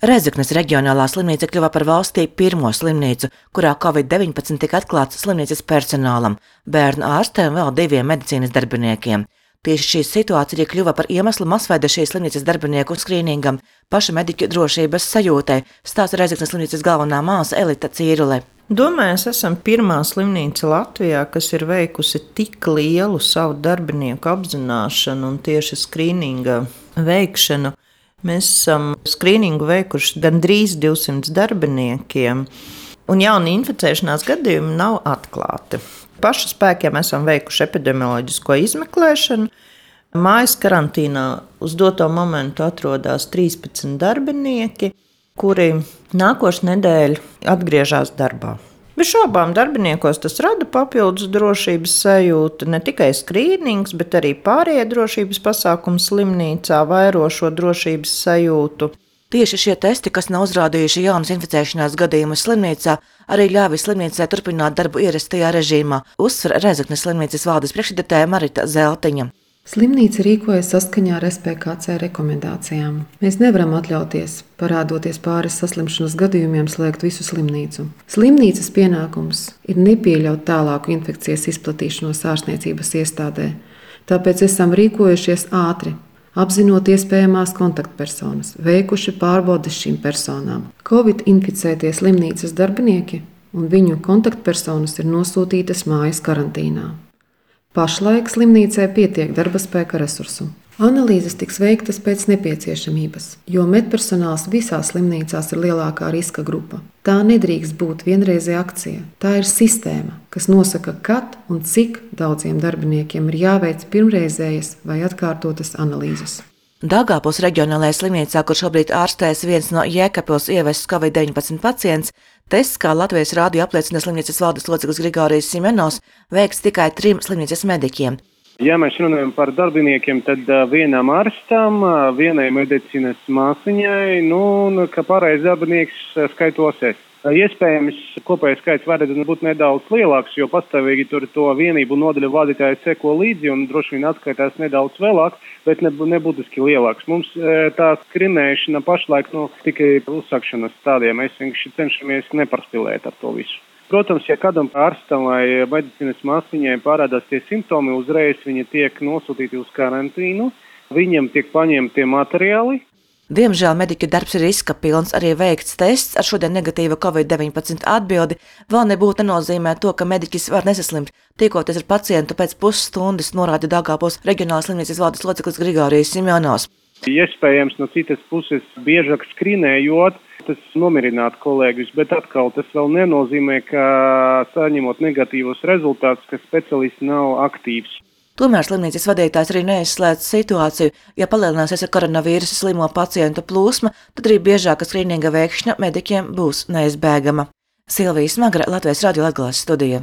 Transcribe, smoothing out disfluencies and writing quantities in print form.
Rēzeknes reģionālā slimnīca kļuva par valstī pirmo slimnīcu, kurā Covid-19 tika atklāts slimnīcas personālam, bērnu ārstēm un vēl 2 medicīnas darbiniekiem. Tieši šī situācija arī kļuva par iemeslu masveida šīs slimnīcas darbinieku skrīningam, paša mediķu drošības sajūtai, stāsta Rēzeknes slimnīcas galvenā māsa Elita Cīrule. Domāju, mēs esam pirmā slimnīca Latvijā, kas ir veikusi tik lielu savu darbinieku apzināšanu un tieši skrīninga veikšanu. Mēs esam skrīningu veikuši gandrīz 200 darbiniekiem, un jauni inficēšanās gadījumi nav atklāti. Pašu spēkiem esam veikuši epidemioloģisko izmeklēšanu. Mājas karantīnā uz doto momentu atrodas 13 darbinieki, kuri nākošu nedēļu atgriežas darbā. Bez šaubām darbiniekos tas rada papildus drošības sajūtu, ne tikai skrīnings, bet arī pārējie drošības pasākumi slimnīcā vairo šo drošības sajūtu. Tieši šie testi, kas nav uzrādījuši jaunas inficēšanās gadījumus slimnīcā, arī ļāvis slimnīcai turpināt darbu ierastajā režīmā, uzsver Rēzeknes slimnīcas valdes priekšsēdētāja Marita Zeltiņa. Slimnīca rīkojas saskaņā ar SPKC rekomendācijām. Mēs nevaram atļauties, parādoties pāris saslimšanas gadījumiem, slēgt visu slimnīcu. Slimnīcas pienākums ir nepieļaut tālāku infekcijas izplatīšanos ārstniecības iestādē, tāpēc esam rīkojušies ātri, apzinot iespējamās kontaktpersonas, veikuši pārbaudes šīm personām. Covid inficētie slimnīcas darbinieki un viņu kontaktpersonas ir nosūtītas mājas karantīnā. Pašlaik slimnīcai pietiek darba spēka resursu. Analīzes tiks veiktas pēc nepieciešamības, jo medpersonāls visās slimnīcās ir lielākā riska grupa. Tā nedrīkst būt vienreizēja akcija. Tā ir sistēma, kas nosaka, kad un cik daudziem darbiniekiem ir jāveic pirmreizējas vai atkārtotas analīzes. Daugavpils reģionālajā slimnīcā, kur šobrīd ārstējas viens no Jēkabpils ievests Covid-19 pacients, tests, kā Latvijas rādio apliecina slimnīcas valdes loceklis Grigorijs Simenovs, veiks tikai 3 slimnīcas mediķiem. Ja mēs runājam par darbiniekiem, tad vienam ārstam, vienai medicīnas māsiņai, un kā pārējais darbinieks skaitos es. Iespējams, kopējais skaits varētu būt nedaudz lielāks, jo pastāvīgi tur to vienību nodaļu vadītāji seko līdzi un droši vien atskaitās nedaudz vēlāk, bet nebūtiski lielāks. Mums tā skrinēšana pašlaik tikai uzsākšanas stādījā. Mēs vienkārši cenšamies neparspilēt ar to visu. Protams, ja kādam ārstam vai medicīnas māsiņai parādās tie simptomi, uzreiz viņi tiek nosūtīti uz karantīnu, viņiem tiek paņemti materiāli. Diemžēl mediķu darbs ir riska pilns, arī veikts tests ar šodien negatīvu Covid-19 atbildi vēl nebūtu nenozīmē to, ka mediķis var nesaslimt, tiekoties ar pacientu pēc pusstundas, norāda Daugavpils reģionālās slimnīcas valdes loceklis Grigorijs Simenovs. Iespējams, no citas puses biežāk skrīnējot, tas nomierinātu kolēģus, bet atkal tas vēl nenozīmē, ka saņemot negatīvus rezultātus, ka speciālists nav aktīvs. Tomēr slimnīcas vadītājs arī neizslēdz situāciju, ja palielināsies ar koronavīrusu slimo pacientu plūsma, tad arī biežāka skrīninga veikšana mediķiem būs neizbēgama. Silvija Smagra, Latvijas radio Latgales studija.